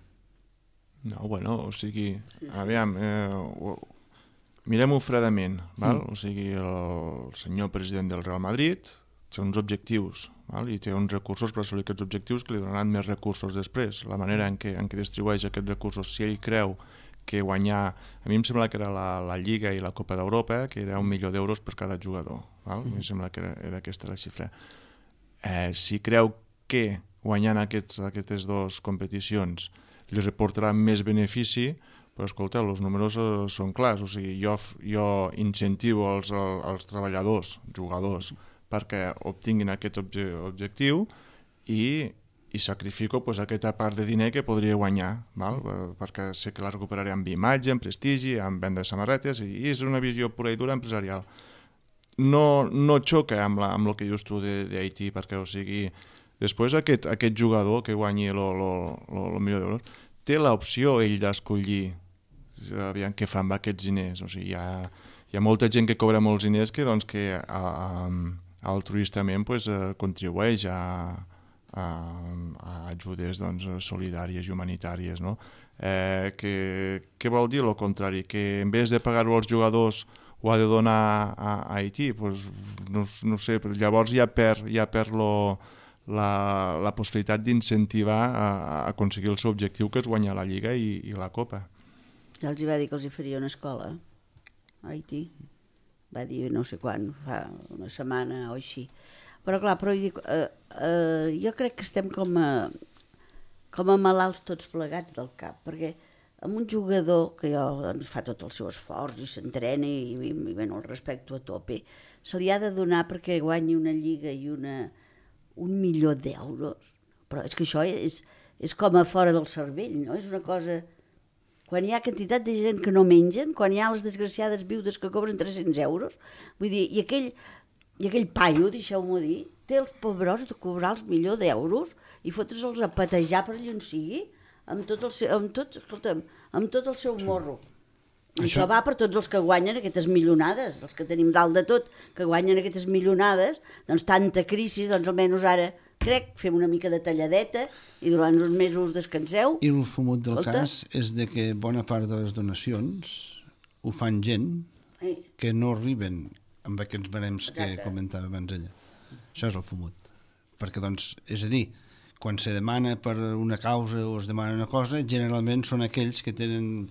No, bueno, o sigui, aviam, mirem-ho fredament, val? O sigui, el senyor president del Real Madrid té uns objectius, val? I té uns recursos per assolir aquests objectius que li donaran més recursos després. La manera en què distribueix aquests recursos, si ell creu que guanyar, a mi em sembla que era la Lliga i la Copa d'Europa, que era 1 milió d'euros per cada jugador, val? A mi em sembla que era aquesta la xifra. Si creu que guanyant aquestes 2 competicions li reportarà més benefici, però escolta, els números són clars, o sigui, jo incentivo els treballadors, jugadors, perquè obtinguin aquest objectiu i sacrifico aquesta part de diner que podria guanyar, val? Perquè sé que la recuperaré amb imatge, amb prestigi, amb venda de samarretes, i és una visió pura i dura empresarial. No xoca amb el que dius tu d'Haití, perquè, o sigui, després aquest jugador que guanyi el milió d'euros té l'opció ell d'escollir aviam què fa amb aquests diners. O sigui, hi ha molta gent que cobra molts diners que altruistament contribueix a ajudes solidàries i humanitàries, no? Què vol dir el contrari? Que en vez de pagar-ho als jugadors ho ha de donar a Haití? No sé, però llavors ja perd la possibilitat d'incentivar a aconseguir el seu objectiu, que és guanyar la Lliga i la Copa. Ja els va dir que els hi faria una escola a Haití. Va dir no sé quan, fa una setmana o així. Però clar, jo crec que estem com a malalts tots plegats del cap, perquè amb un jugador que fa tot el seu esforç i s'entrena i el respecto a tope, se li ha de donar perquè guanyi una Lliga i 1 milió d'euros. Però és que això és com a fora del cervell, no? És una cosa... Quan hi ha quantitat de gent que no mengen, quan hi ha les desgraciades viudes que cobren 300 euros, vull dir, i aquell paio, deixeu-m'ho dir, té els pobres de cobrar els milió d'euros i fotre'ls a patejar per allà on sigui, amb tot el seu morro. I això va per tots els que guanyen aquestes milionades, els que tenim dalt de tot, que guanyen aquestes milionades, doncs tanta crisi, doncs almenys ara fem una mica de talladeta i durant uns mesos descanseu. I el fumut del cas és de que bona part de les donacions ho fan gent que no arriben amb aquests barems que comentava abans ella. Això és el fumut. Perquè, doncs, és a dir, quan se demana per una causa o es demana una cosa, generalment són aquells que tenen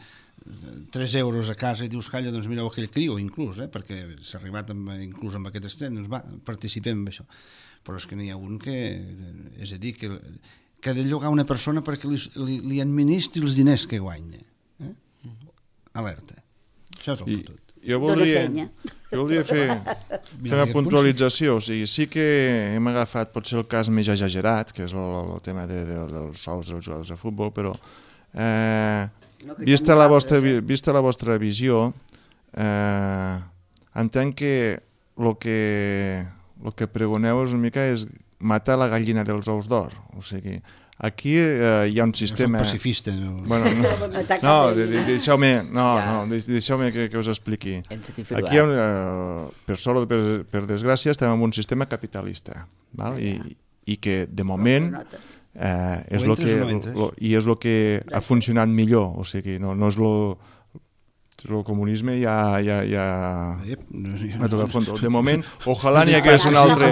3 euros a casa i dius, calla, doncs mireu aquell criu, inclús, perquè s'ha arribat inclús amb aquest extrem, doncs va, participem en això. Però és que n'hi ha un que, és a dir, que ha de llogar una persona perquè li administri els diners que guanya. Alerta. Això és el fotut. Jo voldria fer una puntualització. O sigui, sí que hem agafat potser el cas més exagerat, que és el tema dels sous dels jugadors de futbol, però vista la vostra visió, entenc que el que pregoneu és una mica és matar la gallina dels ous d'or. O sigui, aquí hi ha un sistema... No soc pacifista. Deixeu-me que us expliqui. Aquí, per sort o per desgràcia, estem en un sistema capitalista, val? I que de moment és el que ha funcionat millor. O sigui, no és el comunisme ja ha tocat fons. De moment, ojalà n'hi hagués un altre...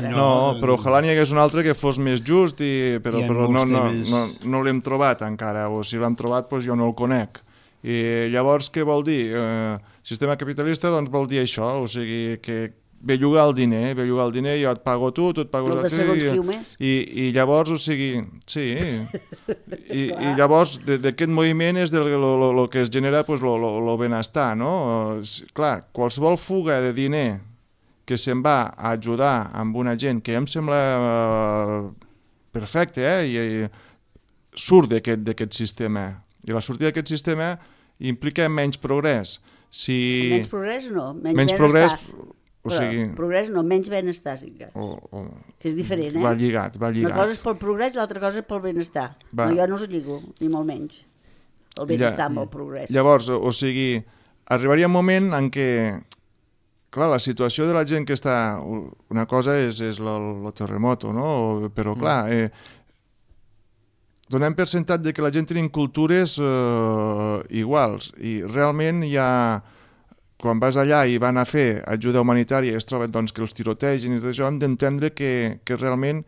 No, però ojalà n'hi hagués un altre que fos més just, però no l'hem trobat encara, o si l'hem trobat jo no el conec. I llavors què vol dir? Sistema capitalista doncs vol dir això, o sigui que bellugar el diner, jo et pago tu et pago i llavors, o sigui, sí, i llavors d'aquest moviment és el que es genera el benestar, no? Clar, qualsevol fuga de diner que se'n va a ajudar amb una gent que em sembla perfecte, i surt d'aquest sistema, i la sortida d'aquest sistema implica menys progrés. Menys progrés no, menys progrés. O sigui, progrés no, menys benestar, sí que és diferent, Va lligat. Una cosa és pel progrés i l'altra cosa és pel benestar. Jo no els lligo, ni molt menys. el benestar amb el progrés. Llavors, o sigui, arribaria un moment en què, clar, la situació de la gent que està... Una cosa és el terremoto, no? Però, clar, donem per sentat de que la gent tenim cultures iguals i realment hi ha... Quan vas allà i van a fer ajuda humanitària i es troben doncs, que els tirotegen i tot això, hem d'entendre que realment,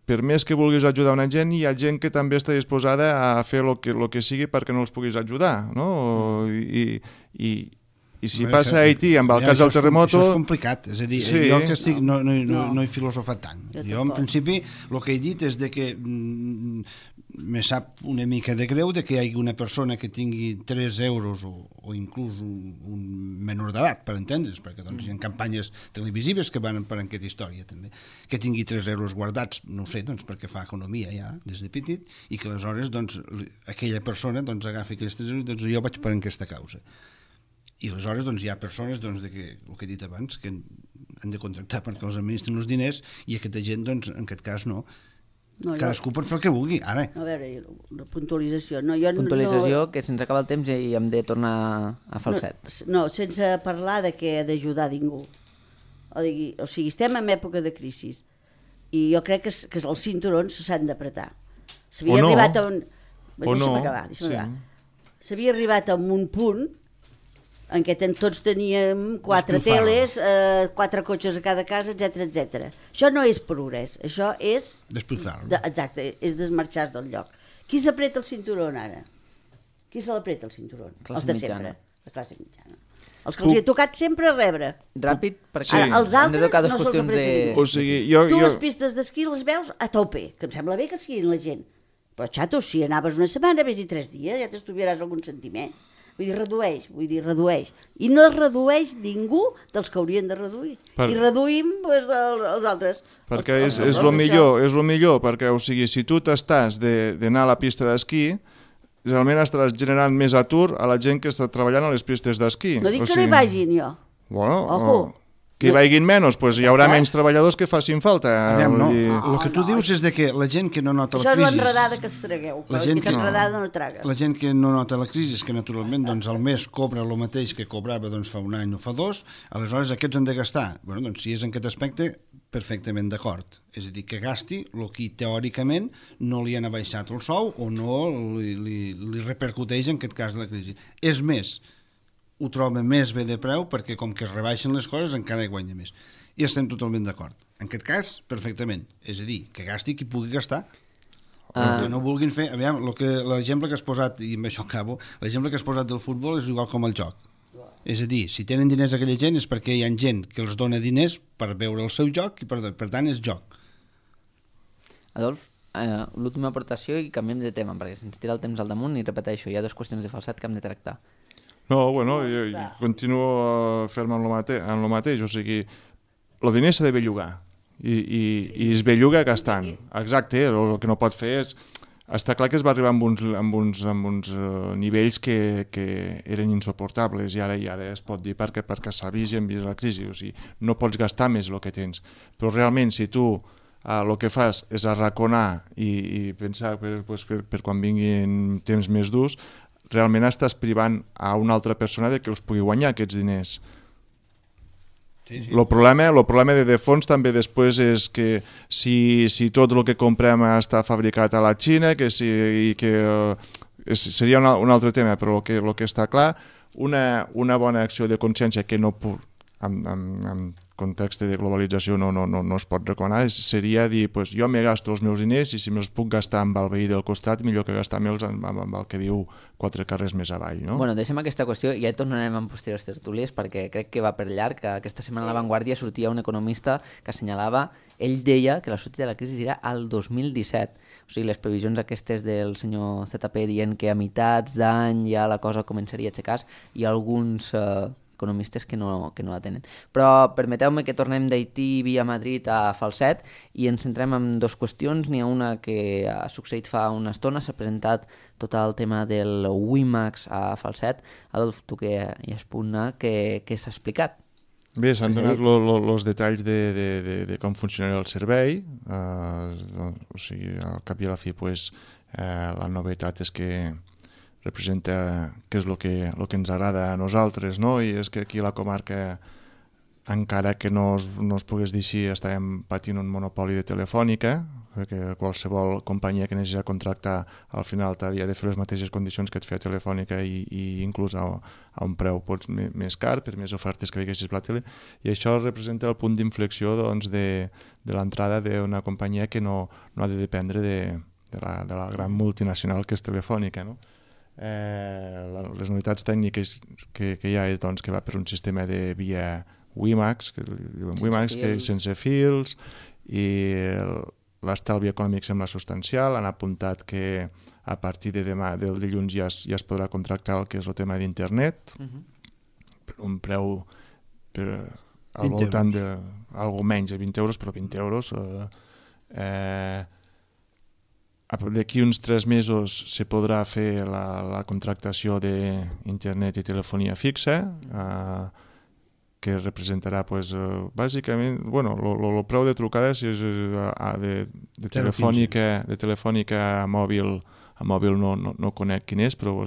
per més que vulguis ajudar una gent, hi ha gent que també està disposada a fer el que sigui perquè no els puguis ajudar, no? I si passa a Haití, amb el cas del terremoto... Això és complicat, és a dir, jo que estic, no he filosofat tant. Jo, en principi, el que he dit és de que me sap una mica de greu de que hi hagi una persona que tingui 3 euros o inclús un menor d'edat, per entendre's, perquè doncs, hi ha campanyes televisives que van per aquesta història també, que tingui 3 euros guardats, no ho sé, doncs, perquè fa economia ja, des de petit, i que aleshores doncs, aquella persona doncs, agafi aquells 3 euros i doncs, jo vaig per aquesta causa. I aleshores doncs, hi ha persones doncs, de que, el que he dit abans, que han de contractar perquè els administren els diners i aquesta gent, doncs, en aquest cas, no. Cadascú pot fer el que vulgui, ara. A veure, la puntualització. Puntualització, que se'ns acaba el temps i hem de tornar a falset. No, sense parlar de que ha d'ajudar ningú. O sigui, estem en època de crisi i jo crec que els cinturons s'han d'apretar. S'havia arribat a un... Deixa'm acabar. S'havia arribat a un punt en què tots teníem 4 teles, 4 cotxes a cada casa, etc. Això no és progrés, això és... Despulfar. Exacte, és desmarxar del lloc. Qui s'apreta el cinturó ara? Qui se l'apreta el cinturó? Els de sempre, la classe mitjana. Els que els hi ha tocat sempre rebre. Ràpid, perquè els altres no se'ls apreta ningú. O sigui, Tu les pistes d'esquí les veus a tope, que em sembla bé que siguin la gent. Però, xato, si anaves una setmana, vés-hi 3 dies, ja t'estuviaràs algun sentiment. Vull dir, redueix. I no es redueix ningú dels que haurien de reduir. I reduïm els altres. Perquè és el millor, perquè, o sigui, si tu t'estàs d'anar a la pista d'esquí, realment estaràs generant més atur a la gent que està treballant a les pistes d'esquí. No dic que no hi vagin, jo. Bueno, que hi vagin menys, doncs hi haurà menys treballadors que facin falta. El que tu dius és que la gent que no nota la crisi... Això és l'enredada que es tragueu, que l'enredada no traga. La gent que no nota la crisi és que naturalment doncs, el mes cobra el mateix que cobrava doncs, fa un any o fa 2, aleshores aquests han de gastar. Bueno, doncs, si és en aquest aspecte, perfectament d'acord. És a dir, que gasti el que teòricament no li han abaixat el sou o no li repercuteix en aquest cas de la crisi. És més, ho troba més bé de preu perquè com que es rebaixen les coses encara hi guanya més. I estem totalment d'acord. En aquest cas, perfectament. És a dir, que gasti qui pugui gastar. Que no vulguin fer... Aviam, l'exemple que has posat, i amb això acabo, l'exemple que has posat del futbol és igual com el joc. És a dir, si tenen diners aquella gent és perquè hi ha gent que els dona diners per veure el seu joc i per tant és joc. Adolf, l'última aportació i canviem de tema perquè se'ns tira el temps al damunt i repeteixo, hi ha 2 qüestions de falset que hem de tractar. No, bueno, jo continuo ferm en lo mateix, o sigui, el diner s'ha de bellugar i es belluga gastant. Exacte, el que no pot fer és... Està clar que es va arribar amb uns nivells que eren insuportables i ara es pot dir perquè s'ha vist i hem vist la crisi, o sigui, no pots gastar més el que tens, però realment si tu el que fas és arraconar i pensar per quan vinguin temps més durs, realment estàs privant a una altra persona de que els pugui guanyar aquests diners. El problema de fons també després és que si tot el que comprem està fabricat a la Xina, seria un altre tema, però el que està clar, una bona acció de consciència que no en context de globalització no es pot recomanar, seria dir, jo me gasto els meus diners i si me'ls puc gastar amb el veí del costat, millor que gastar-me'ls amb el que viu 4 carrers més avall. No? Bueno, deixem aquesta qüestió i ja tornarem en posteriors tertúlies perquè crec que va per llarg. Aquesta setmana a La Vanguardia sortia un economista que assenyalava, ell deia que la sortida de la crisi era al 2017. O sigui, les previsions aquestes del senyor ZP dient que a meitats d'any ja la cosa començaria a aixecar i alguns... economistes que no la tenen. Però permeteu-me que tornem d'Haití via Madrid a Falset i ens centrem en 2 qüestions. N'hi ha una que ha succeït fa una estona, s'ha presentat tot el tema del WiMAX a Falset. Adolf, tu que hi has punt A, què s'ha explicat? Bé, s'han donat els detalls de com funcionarà el servei, o sigui, al cap i a la fi la novetat és que representa què és el que ens agrada a nosaltres, no? I és que aquí a la comarca, encara que no es pogués dir així, estàvem patint un monopoli de Telefònica, perquè qualsevol companyia que anés a contractar al final t'havia de fer les mateixes condicions que et feia Telefònica i inclús a un preu més car, per més ofertes que veiessis per la tele, i això representa el punt d'inflexió doncs, de l'entrada d'una companyia que no ha de dependre de la gran multinacional que és Telefònica, no? Les novetats tècniques que hi ha és doncs, que va per un sistema de via WiMAX, que diuen WiMAX, que és sense fils, i l'estalvi econòmic sembla substancial. Han apuntat que a partir de demà, del dilluns, ja es podrà contractar el que és el tema d'internet, per un preu al voltant d'algo menys de 20 euros, però 20 euros. D'aquí uns 3 mesos se podrà fer la contractació d'internet i telefonia fixa, que representarà, bàsicament, el preu de trucades de telefònica a mòbil no conec quin és, però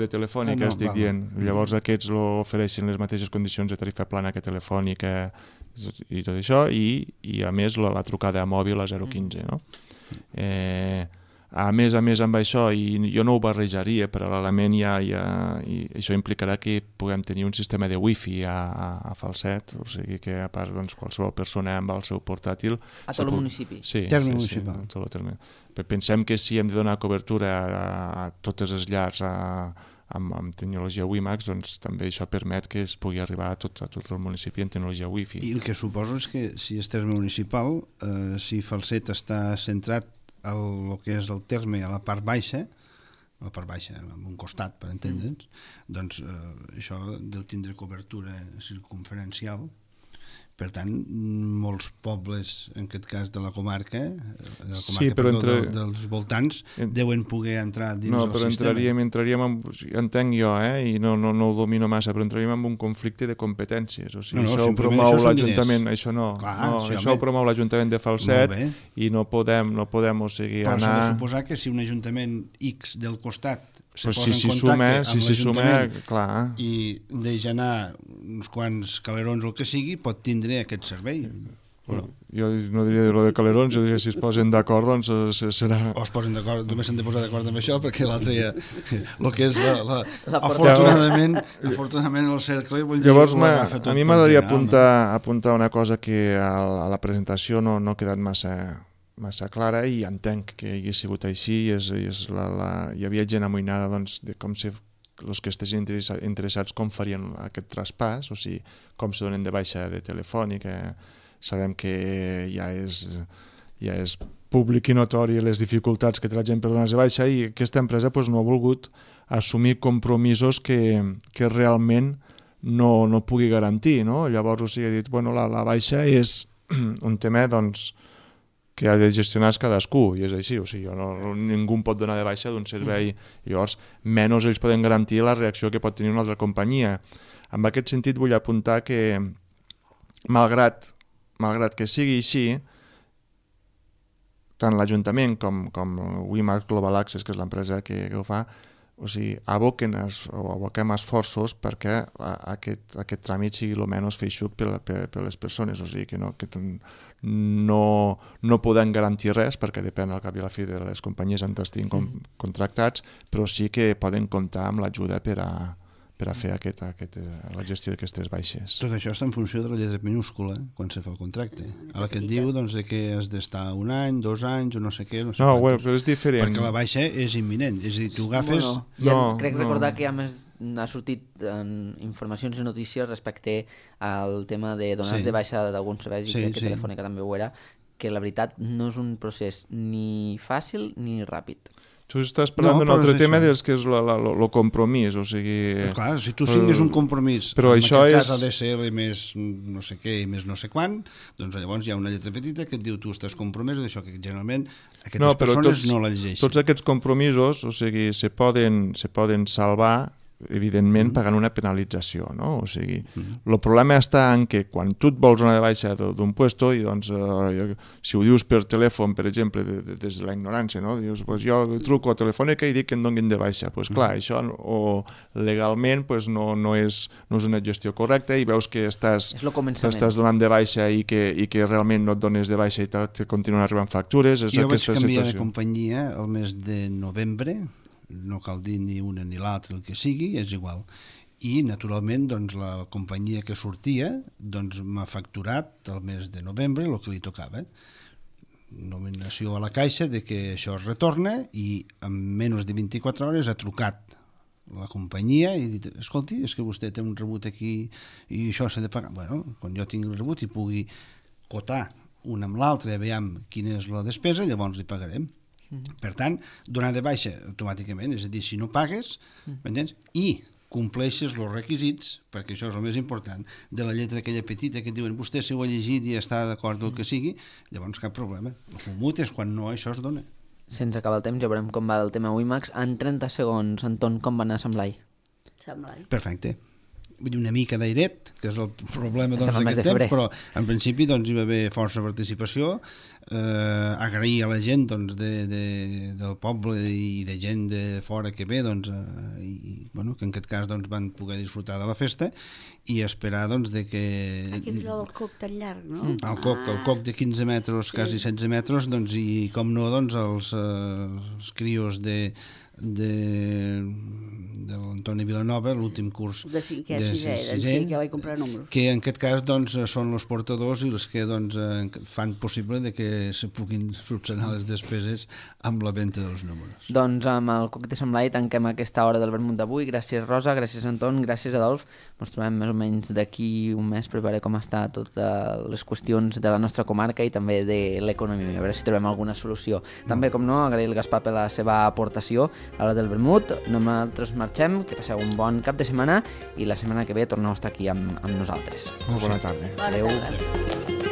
de telefònica estic dient. Llavors aquests ofereixen les mateixes condicions de tarifa plana que telefònica i tot això, i a més la trucada a mòbil a 0,15, no? A més amb això, i jo no ho barrejaria, paral·lelament i això implicarà que puguem tenir un sistema de wifi a Falset, o sigui que a part qualsevol persona amb el seu portàtil... A tot el municipi? Sí, terme municipal. Pensem que si hem de donar cobertura a totes les llars amb tecnologia WiMAX, doncs també això permet que es pugui arribar a tot el municipi en tecnologia wifi. I el que suposo és que si és terme municipal, si Falset està centrat el que és el terme a la part baixa, en un costat, per entendre'ns, doncs això deu tindre cobertura circumferencial. Per tant, molts pobles, en aquest cas de la comarca, dels voltants, deuen poder entrar dins el sistema. No, però entenc jo, i no ho domino massa, però entraríem en un conflicte de competències. O sigui, això ho promou l'Ajuntament, això no. Això ho promou l'Ajuntament de Falset i no podem, o sigui, anar... Però s'ha de suposar que si un Ajuntament X del costat se posa en contacte amb l'Ajuntament i deixa anar uns quants calerons o el que sigui, pot tindre aquest servei. Jo no diria lo de calerons, jo diria si es posen d'acord, doncs serà... O es posen d'acord, només s'han de posar d'acord amb això, perquè l'altre ja... El que és afortunadament el cercle... Llavors, a mi m'agradaria apuntar una cosa que a la presentació no ha quedat massa clara, i entenc que hagi sigut així, hi havia gent amoïnada de com els que estiguin interessats com farien aquest traspàs, o sigui, com se donen de baixa de Telefònica. Sabem que ja és públic i notori les dificultats que té la gent per donar-se de baixa, i aquesta empresa no ha volgut assumir compromisos que realment no pugui garantir, no? Llavors, o sigui, ha dit, la baixa és un tema, que ha de gestionar cadascú, i és així, o sigui, ningú pot donar de baixa d'un servei, llavors menys ells poden garantir la reacció que pot tenir una altra companyia. En aquest sentit vull apuntar que malgrat que sigui així, tant l'Ajuntament com WiMAX Global Access, que és l'empresa que ho fa, o sigui, aboquem esforços perquè aquest tràmit sigui el menys feixuc per les persones, o sigui, que no podem garantir res, perquè depèn al cap i a la fi de les companyies on estiguin contractats, però sí que poden comptar amb l'ajuda per a fer la gestió d'aquestes baixes. Tot això està en funció de la lletra minúscula quan se fa el contracte. A la que et diu que has d'estar 1 any, 2 anys o no sé què. Però és diferent. Perquè la baixa és imminent. És a dir, tu agafes... Crec recordar que a més ha sortit en informacions i notícies respecte al tema de donar de baixa d'alguns serveis, i crec que Telefònica també ho era, que la veritat no és un procés ni fàcil ni ràpid. Tu estàs parlant d'un altre tema que és el compromís, o sigui... Clar, si tu signes un compromís, en aquest cas ha de ser més no sé què i més no sé quan, doncs llavors hi ha una lletra petita que et diu tu estàs compromès d'això, que generalment aquestes persones no la llegeixen. Tots aquests compromisos, o sigui, se poden salvar evidentment pagant una penalització, no? O sigui, el problema està en que quan tu et vols donar de baixa d'un puesto i doncs si ho dius per telèfon, per exemple, des de la ignorància, no? Dius, pues jo truco a Telefònica i dic que em donin de baixa. Pues clar, això legalment no és una gestió correcta i veus que t'estàs donant de baixa i que realment no et dones de baixa i te continuen arribant factures. Jo vaig canviar de companyia el mes de novembre, no cal dir ni una ni l'altra, el que sigui, és igual. I, naturalment, doncs, la companyia que sortia doncs, m'ha facturat el mes de novembre el que li tocava. Nominació a la caixa de que això es retorna i en menys de 24 hores ha trucat la companyia i dit, escolti, és que vostè té un rebut aquí i això s'ha de pagar. Bueno, quan jo tinc el rebut i pugui cotar una amb l'altra, veiem quina és la despesa, llavors li pagarem. Per tant, donar de baixa automàticament, és a dir, si no pagues, m'entens? I compleixes els requisits, perquè això és el més important, de la lletra aquella petita que et diuen vostè si ho ha llegit i està d'acord del que sigui, llavors cap problema. El multa és quan no això es dona. Se'ns acaba el temps, ja veurem com va el tema WiMAX. En 30 segons, Anton, com va anar Samlai? Perfecte. Vull dir, una mica d'airet, que és el problema d'aquest temps, però en principi doncs, hi va haver força participació. Agrair a la gent doncs, del poble i de gent de fora que ve, doncs, bueno, que en aquest cas doncs, van poder disfrutar de la festa i esperar doncs, de que... Aquí és allò del coc tan llarg, no? El coc de 15 metres, quasi 16 metres, doncs, i com no, doncs, els crios de l'Antoni Vilanova, l'últim curs de cinquè, que vaig comprar números, que en aquest cas doncs, són els portadors i els que doncs, fan possible de que se puguin subsanar les despeses amb la venda dels números. Doncs amb el Coc de Sant Blai tanquem aquesta hora del vermut d'avui. Gràcies Rosa, gràcies Anton, gràcies Adolf. Ens trobem més o menys d'aquí un mes per veure com està totes les qüestions de la nostra comarca i també de l'economia, a veure si trobem alguna solució. També, com no, agrair al Gaspar per la seva aportació a l'hora del vermut. Nosaltres marxem, que passeu un bon cap de setmana i la setmana que ve torneu a estar aquí amb nosaltres. Molt bona tarda. Adéu.